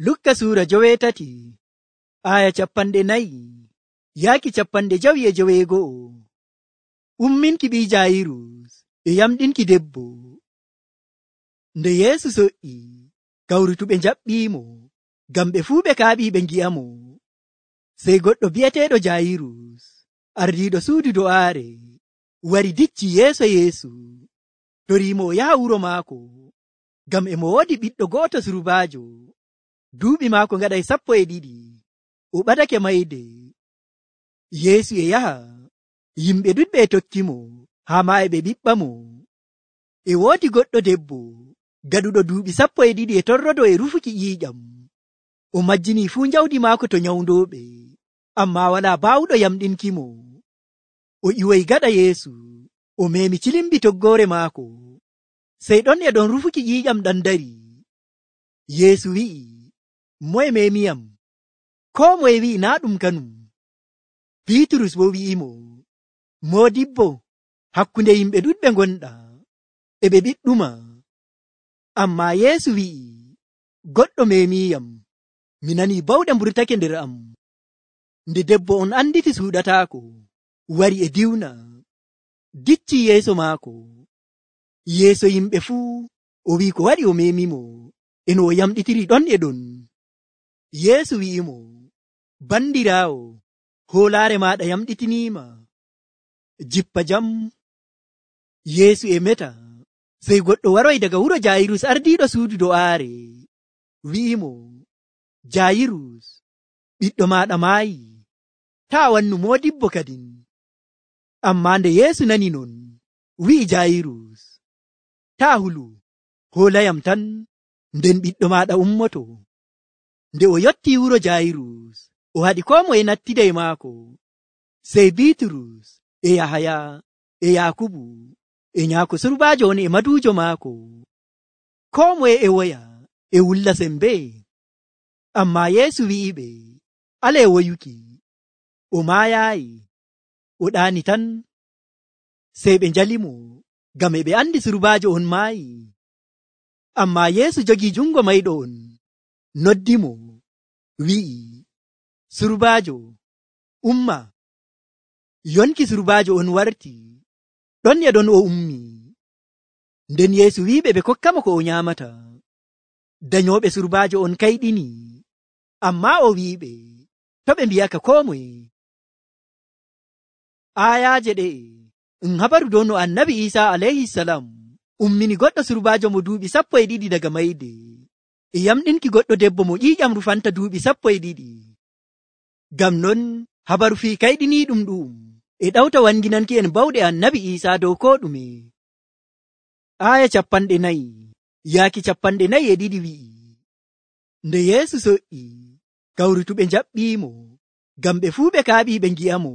Lukka suura 8 aya 4 yaaki 59. Umminki ɓii Jaayirus e yamɗinki debbo. Nde Yeesu so'i, kawrutuɓe njaɓɓiimo, ngam ɓe fuu ɓe kaaɓii ɓe ngi'amo. Sey goɗɗo bi'eteeɗo Jaayirus, ardiiɗo suudu do'aare, wari dicci yeeso Yeesu, toriimo o yaha wuro maako, ngam e mo woodi ɓiɗɗo go'oto surbaajo. Duuɓi maako ngaɗay 12. O ɓadake mayde. Yeesu e yaha, yimɓe ɗuɗɓe e tokkimo, haa ma e ɓe ɓiɓɓamo. E woodi goɗɗo debbo gaɗuɗo duuɓi 12 e torrodo e rufuki ƴiiƴam. O majjini fuu njawdi maako to nyawndooɓe, ammaa walaa baawuɗo yamɗinkimo. O ƴiwoyi gaɗa Yeesu, o meemi cilimbi toggoore maako. Sey ɗon e ɗon rufuki ƴiiƴam ɗam dari. Yeesu wi'i, moye meemiyam? Koo moye wi'i naa ɗum kanum. Biiturus bo wi'imo, Moodibbo, hakkunde yimɓe ɗuɗɓe ngonɗa, e ɓe ɓiɗɗuma. Ammaa Yeesu wi'i, goɗɗo meemiyam, mi nanii bawɗe mburtake nder am. Nde debbo on anditi suuɗataako, wari e diwna, dicci yeeso maako. Yeeso yimɓe fuu o wi'i ko waɗi o meemimo, e no o yamɗitiri ɗon e ɗon. Yeesu wi'imo, bandiraawo, hoolaare maaɗa yamɗitiniima. Jippa jam. Yeesu e meta. Sey goɗɗo waroy daga wuro Jaayirus ardiiɗo suudu do'aare, wi'imo, Jaayirus, ɓiɗɗo maaɗa maayi, taa wannu moodibbo kadin. Ammaa nde Yeesu nani non, wi'i Jaayirus, taa hulu, hoolayam tan, nden ɓiɗɗo maaɗa ummoto. Nde o yotti wuro Jaayirus, o haɗi koo moye nattiday maako. Sey Biiturus e Yahaya e Yaakubu e nyaako surbaajo on e maduujo maako. Koo moye e woya e wulla sembe. Ammaa Yeesu wi'iɓe, alee woyuki, o maayaayi, o ɗaani tan. Sey ɓe njalimo, ngam e ɓe andi surbaajo on maayi. Ammaa Yeesu jogii jungo mayɗo on, noddimo, wi'i, surbaajo, umma. Yonki surbaajo on warti, ɗon e ɗon o ummi. Nden Yeesu wi'iɓe ɓe kokkamo ko o nyaamata. Danyooɓe surbaajo on kayɗini, ammaa o wi'iɓe, to ɓe mbi'aka koo moye. Ayaaje ɗe habaru dow no Annabi Iisaa alayhisalam ummini goɗɗo surbaajo mo duuɓi 12 daga mayde, e yamɗinki goɗɗo debbo mo ƴiiƴam rufanta duuɓi 12. Ngam non habaru fii kayɗiniiɗum ɗum e ɗawta wanginanki en bawɗe Annabi Iisaa dow koo ɗume. Aya 40 yaaki 42 wi'i, nde Yeesu so'i, kawrutuɓe njaɓɓiimo, ngam ɓe fuu ɓe kaaɓii ɓe ngi'amo.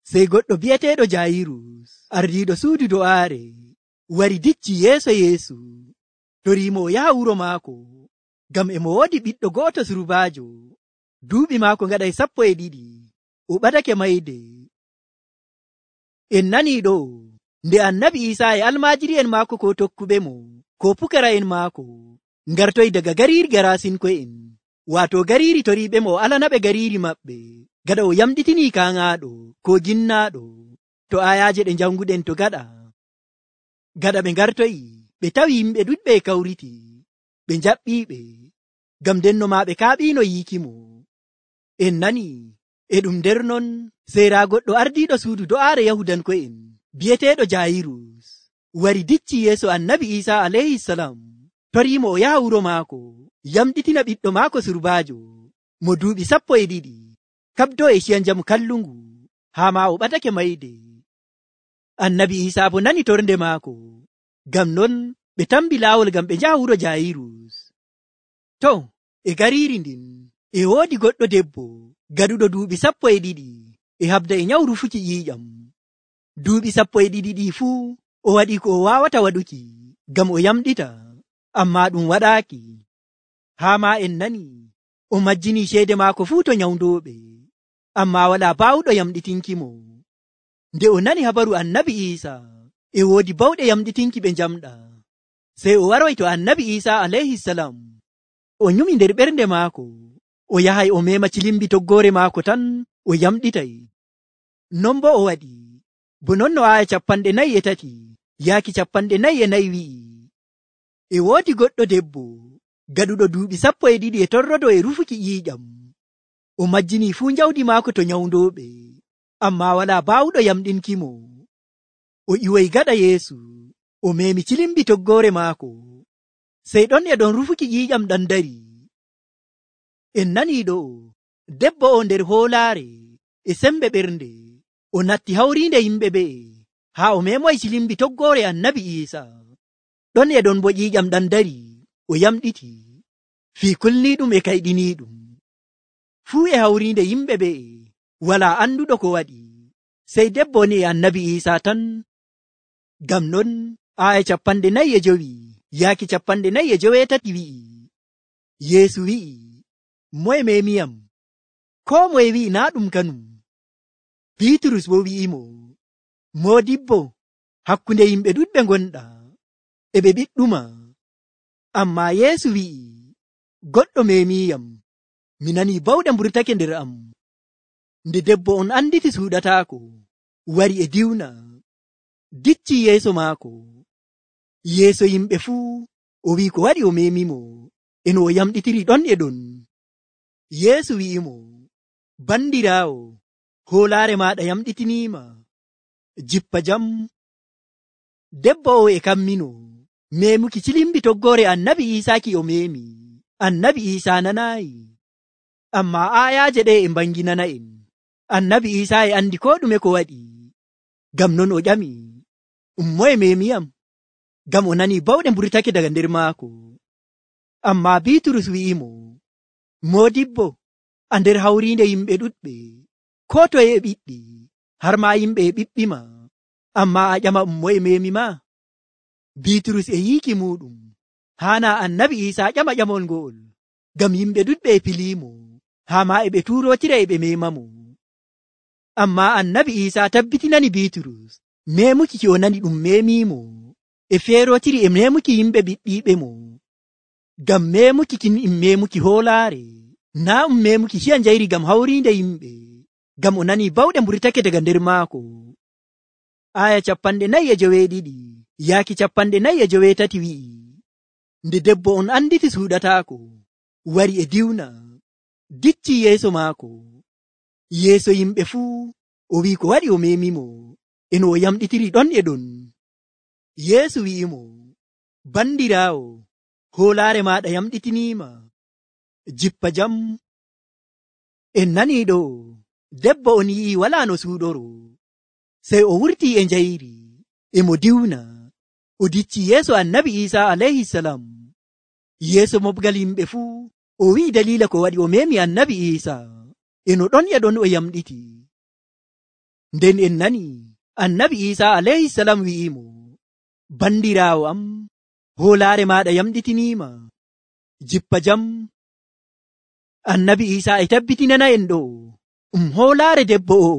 Sey goɗɗo bi'eteeɗo Jaayirus, ardiiɗo suudu do'aare, wari dicci yeeso Yeesu, toriimo o yaha wuro maako, ngam e mo woodi ɓiɗɗo go'oto surbaajo. Duuɓi maako ngaɗay 12. O ɓadake mayde. En nanii ɗo, nde Annabi Iisaa e almaajiri'en maako ko tokkuɓe mo, ko pukara'en maako, ngartoy daga gariiri Garasinko'en, waato gariiri toriiɓe mo o alanaɓe gariiri maɓɓe, gaɗa o yamɗitinii kaaŋaaɗo ko ginnaaɗo. To ayaaje ɗe janguɗen to gaɗa ɓe ngartoyi, ɓe tawi yimɓe ɗuɗɓe e kawriti, ɓe njaɓɓiiɓe, ngam ndenno maa ɓe kaaɓiino yiikimo. En nani, e ɗum nder non, seera goɗɗo ardiiɗo suudu do'aare Yahudanko'en, bi'eteeɗo Jaayirus, wari dicci yeeso Annabi Iisaa alayhisalam, toriimo o yaha wuro maako, yamɗitina ɓiɗɗo maako surbaajo, mo duuɓi 12, kabdo e ciya njamu kallungu, haa ma o ɓatake mayde. Annabi Iisaa bo nani torde maako, ngam non ɓe tambi laawol ngam ɓe njaha wuro Jaayirus. To, e gariiri ndin, e woodi goɗɗo debbo gaɗuɗo duuɓi 12 e habda e nyawu rufuki ƴiiƴam. Duuɓi 12 fuu o waɗi ko o waawata waɗuki, ngam o yamɗita, ammaa ɗum waɗaaki. Haa ma en nani, o majjini ceede maako fuu to nyawndooɓe, ammaa walaa baawuɗo yamɗitinkimo. Nde o nani habaru Annabi Iisaa, e woodi bawɗe yamɗitinki ɓe njamɗa, sey o waroy to Annabi Iisaa alayhisalam. o nyumi nder ɓernde maako, o yahay o mema cilimbi toggoore maako tan o yamɗitay. Non bo o waɗi. Bo non no aya 43 yaaki 44 wi'i, e woodi goɗɗo debbo gaɗuɗo duuɓi 12 e torrodo e rufuki ƴiiƴam. O majjini fuu jawdi maako to nyawndooɓe, ammaa walaa baawuɗo yamɗinkimo. O ƴiwoy gaɗa Yeesu, o memi cilimbi toggoore maako. Sey ɗon e ɗon rufuki ƴiiƴam ɗan dari. En nanii ɗo, debbo o nder hoolaare e sembe ɓernde, o natti hawriinde yimɓe ɓe'e haa o memoy cilimbi toggoore Annabi Iisaa. Ɗon e ɗon bo ƴiiƴam ɗan dari, o yamɗiti, fii kulniiɗum e kayɗiniiɗum. Fuu e hawriinde yimɓe ɓe'e walaa anduɗo ko waɗi, sey debbo ni e Annabi Iisaa tan. Ngam non aya 45 yaaki 48 wi'i, Yeesu wi'i, moye memiyam? Koo moye wi'i naa ɗum kanum. Biiturus bo wi'imo, Moodibbo, hakkunde yimɓe ɗuɗɓe ngonɗa, e ɓe ɓiɗɗuma. Ammaa Yeesu wi'i, goɗɗo memiyam, mi nanii bawɗe mburtake nder am. Nde debbo on anditi suuɗataako, wari e diwna, dicci yeeso maako, yeeso yimɓe fuu, o wi'i ko waɗi o memimo, eno o yamɗitiri ɗon e ɗon. Yeesu wi'imo, bandiraawo, hoolaare maaɗa yamɗitiniima, jippa jam. Debbo o e kammino memuki cilimbi toggoore Annabi Iisaa ki o memi. Annabi Iisaa nanaayi, ammaa aayaaje ɗe e mbanginana en. Annabi Iisaa e andi ko ɗume ko waɗi. Ngam non o ƴami, moye memiyam? Ngam o nani bawɗe mburtake daga nder maako. Ammaa Biiturus wi'imo, Moodibbo, a nder hawriinde yimɓe ɗuɗɓe, ko toye e ɓiɗɗi, har ma yimɓe e ɓiɓɓima, ammaa a ƴama moye memima? Biiturus e yiiki muɗum haana Annabi Iisaa ƴama ƴamol ngo'ol, ngam yimɓe ɗuɗɓe e piliimo, haa ma e ɓe tuurotira e ɓe memamo. Ammaa Annabi Iisaa tabbitinani Biiturus memuki ki o nani ɗum memimo e feerotiri e memuki yimɓe ɓiɗɗiiɓe mo. Ngam memuki kin memuki hoolaare, naa memuki hiya njayri ngam hawriinde yimɓe, ngam o nani bawɗe mburtake daga nder maako. Aya 49 yaaki 48 wi'i, nde debbo on anditi suuɗataako, wari e diwna, dicci yeeso maako, yeeso yimɓe fuu, o wi'i ko waɗi o memimo, eno o yamɗitiri ɗon e ɗon. Yeesu wi'imo, bandiraawo, hoolaare maaɗa yamɗitiniima, jippa jam. En nanii ɗo, debbo on yi'i walaa no suuɗoro, sey o wurtii e njayri, e mo diwna, o dicci yeeso Annabi Iisaa alayhisalam, yeeso mobgal yimɓe fuu, o wi'i daliila ko waɗi o memi Annabi Iisaa, eno ɗon e ɗon o yamɗiti. Nden en nani Annabi Iisaa alayhisalam wi'imo, bandiraawo am, hoolaare maaɗa yamɗitiniima, jippa jam. Annabi Iisaa e tabbitinana en ɗo, hoolaare debbo o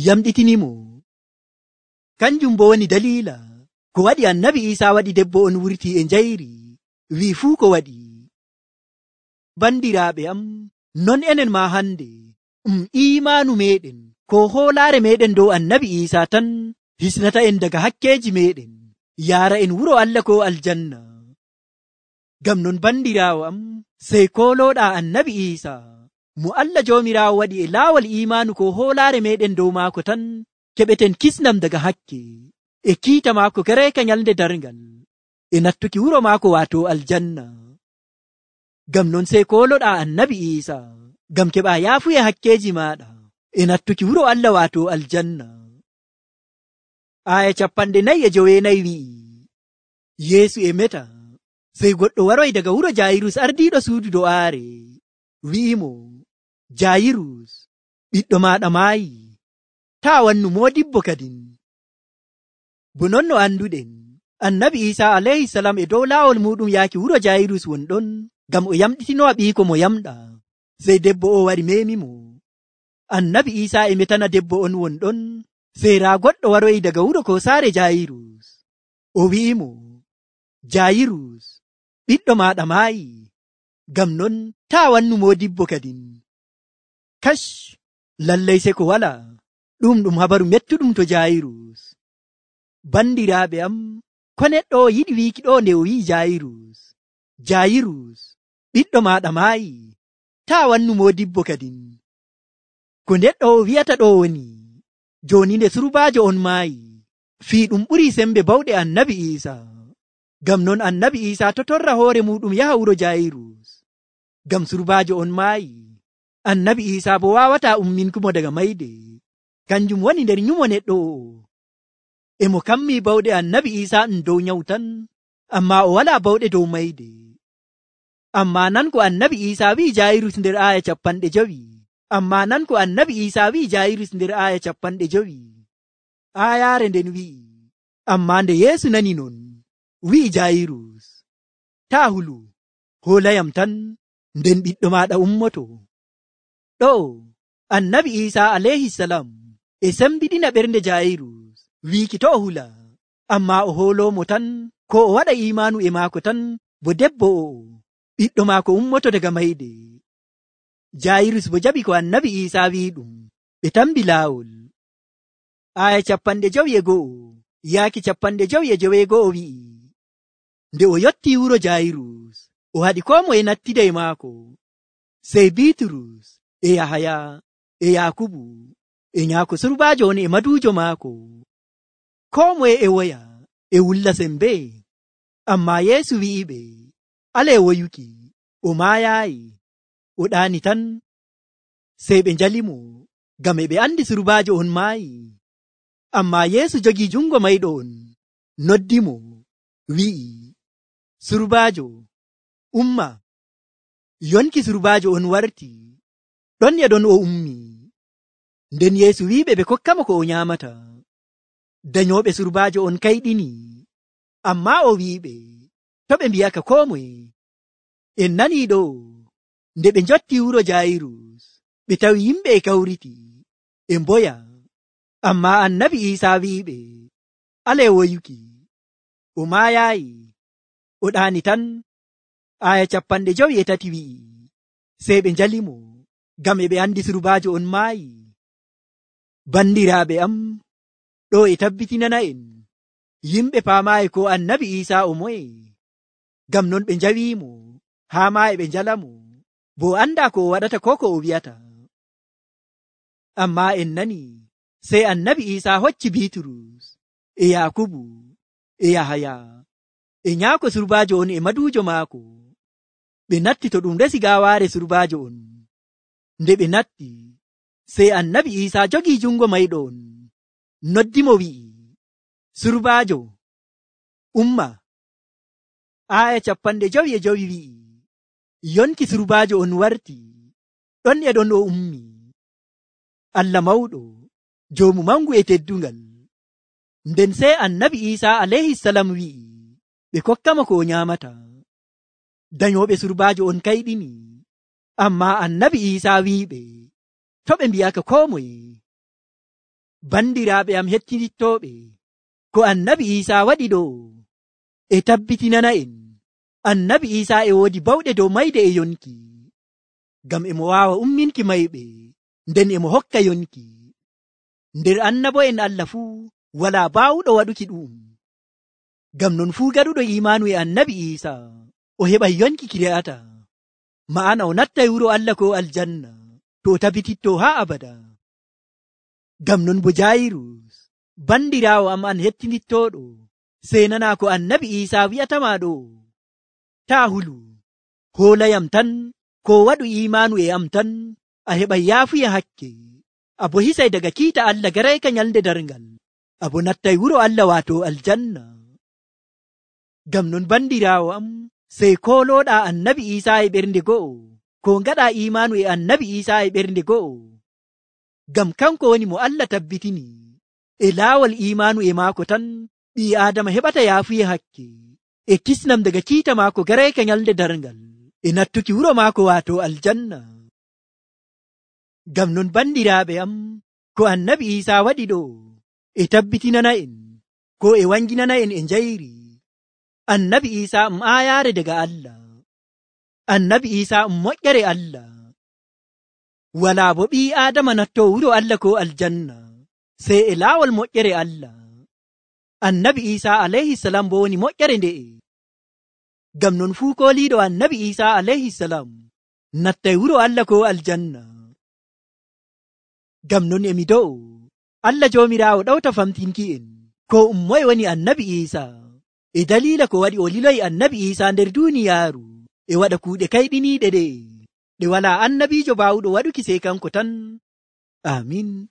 yamɗitinimo. Kanjum bo woni daliila ko waɗi Annabi Iisaa waɗi debbo on wurti e njayri, wi'i fuu ko waɗi. Bandiraaɓe am, non enen ma hande, iimaanu meɗen ko hoolaare meɗen dow Annabi Iisaa tan hisnata en daga hakkeeji meɗen, yaara en wuro Allah ko aljanna. Ngam non bandiraawo am, sey koolooɗa Annabi Iisaa, mo Allah Joomiraawo waɗi e laawol iimaanu ko hoolaare meɗen dow maako tan, keɓeten kisnam daga hakke, e kiita maako kereeka nyalde darngal, e nattuki wuro maako waato aljanna. Ngam non sey kooloɗa Annabi Iisaa, ngam keɓa yaafuye hakkeeji maaɗa, e nattuki wuro Allah waato aljanna. Aya 49 wi'i, Yeesu e meta, sey goɗɗo waroy daga wuro Jaayirus ardiiɗo suudu do'aare, wi'imo, Jaayirus, ɓiɗɗo maaɗa maayi, taa wannu moodibbo kadin. Bo non no anduɗen, Annabi Iisaa alayhisalam e dow laawol muɗum yaaki wuro Jaayirus wonɗon, ngam o yamɗitinowa ɓiiko mo yamɗa, sey debbo o wari memimo. Annabi Iisaa e metana debbo on wonɗon, sey raa goɗɗo waroyi daga wuro ko saare Jaayirus, o wi'imo, Jaayirus, ɓiɗɗo maaɗa maayi. Ngam non taa wannu modibbo kadin. Kash, lallai se ko wala. Ɗum habaru mettuɗum to Jairus. Bandiraaɓe am, ko neɗɗo yiɗi wiiki ɗo nde o wi'i Jairus, Jairus, ɓiɗɗo maɗa maayi, taa wannu modibbo kadin. Ko neɗɗo wi'ata ɗo woni, joni nde surbajo on maayi, fii ɗum ɓuri sembe bawɗe annabi Isa. Ngam non annabi Isa to torra hoore muɗum yaha wuro Jairus. Ngam surbajo on maayi, annabi Isa bo wawata umminkumo daga mayde. Kanjum woni nder nyumo neɗɗo o. Emo kammi bawɗe annabi Isa dow nyawu tan, amma o wala bawɗe dow mayde. Amma nan ko annabi Isa wi'i Jairus nder aya 50. Amma nan ko annabi Isa wi'i Jairus nder aya 50. Ayaare nden wi'i, amma nde Yeesu nani non, wi'i Jairus, taa hulu, holayam tan, nden ɓiɗɗo maɗa ummoto. Ɗo annabi Isa alayhisalam e sembiɗina ɓernde Jairus wiiki to o hula, amma o holomo tan ko o waɗa imanu e maako tan, bo debbo o ɓiɗɗo maako ummoto daga mayde. Jairus bo jaɓi ko annabi Isa wi'i ɗum, ɓe tambi laawol. Aya 51 yaaki 52 wi'i, nde o yotti wuro Jairus, o haɗi ko moye nattida e maako, sey Bitrus e Yahaya e Yakubu e nyaako surbajo on e madujo maako. Ko moye e woya e wulla sembe, amma Yeesu wi'iɓe, ale woyuki, o maayayi, o ɗaani tan. Sey ɓe njalimo, ngam e ɓe andi surbajo on maayi. Amma Yeesu jogi jungo mayɗo on, noddimo, wi'i, surbajo, umma. Yonki surbajo on warti, ɗon e ɗon o ummi. Nden Yeesu wi'iɓe ɓe kokkamo ko o nyamata. Dayoɓe surbajo on kayɗini, amma o wi'iɓe, to ɓe mbiyaka ko moye. En nani ɗo, nde ɓe njotti wuro Jairus, ɓe tawi yimɓe e kawriti, e mboya. Amma annabi Isa wi'iɓe, ale woyuki, o maayayi, o ɗaani tan. Aya 53 wi'i, sey ɓe njalimo, ngam e ɓe andi surbajo on maayi. Bandiraaɓe am, ɗo e tabbitinana en, yimɓe paamaayi ko annabi Isa o moye. Ngam non ɓe njawimo, haa ma e ɓe njalamo, bo anda ko o waɗata ko o wi'ata. Amma en nani, sey annabi Isa hocci Bitrus e Yakubu e Yahaya e nyaako surbajo on e madujo maako. Ɓe natti to ɗum resi gawaare surbajo on. Nde ɓe natti, sey annabi Isa jogi jungo mayɗo on, noddimo wi'i, surbajo, umma. Aya 55 wi'i, yonki surbajo on warti, ɗon e ɗon o ummi. Allah mawɗo, joomu mangu e teddungal. Nden sey annabi Isa alayhisalam wi'i, ɓe kokkamo ko o nyamata. Dayoɓe surbajo on kayɗini, amma annabi Isa wi'iɓe, to ɓe mbiyaka ko moye. Bandiraaɓe am hettinittoɓe, ko annabi Isa waɗi ɗo e tabbitinana en, annabi Isa e woodi bawɗe dow mayde e yonki. Ngam emo waawa umminki mayɓe, nden emo hokka yonki. Nder annabo'en Allah fuu wala baawuɗo waɗuki ɗum. Ngam non fuu gaɗuɗo imanu e annabi Isa o heɓay yonki ki re'ata, ma'ana o nattay wuro Allah ko aljanna, to o tabbititto haa abada. Ngam non bo Jairus, bandiraawo am an hettinittoɗo, sey nana ko annabi Isa wi'atama ɗo, taa hulu, holayam tan, ko waɗu imanu e am tan, a heɓay yaafuya hakke, abo hisay daga kiita Allah garayka nyalde darngal, abo nattay wuro Allah wato aljanna. Ngam non bandiraawo am, sey koloɗa annabi Isa e ɓernde go'o, ko ngaɗa imanu e annabi Isa e ɓernde go'o. Ngam kanko woni mo Allah tabbitini, e laawol imanu e maako tan, ɓii Adama heɓata yaafuye hakke, e kisnam daga kiita maako garayka nyalde darngal, e nattuki wuro maako wato aljanna. Ngam non bandiraaɓe am, ko annabi Isa waɗi ɗo e tabbitinana en, ko e wanginana en e njayri. Annabi Isa ayaare daga Allah. annabi Isa moƴƴere Allah. Walaa bo ɓii Aadama nattoo wuro Allah ko aljanna sey e laawol moƴƴere Allah. Annabi Isa alayhi salam bo woni moƴƴere nde'e. Ngam non fuu kooliiɗo annabi Isa alayhi salam nattay wuro Allah ko aljanna. Ngam non emi do'o Allah Joomiraawo ɗawta famtinki'en ko ummoye woni annabi Isa e daliila ko waɗi o liloyi annabi Isa nder duuniyaaru e waɗa kuuɗe kayɗiniiɗe ɗe walaa annabiijo baawuɗo waɗuki sey kanko tan. Amin.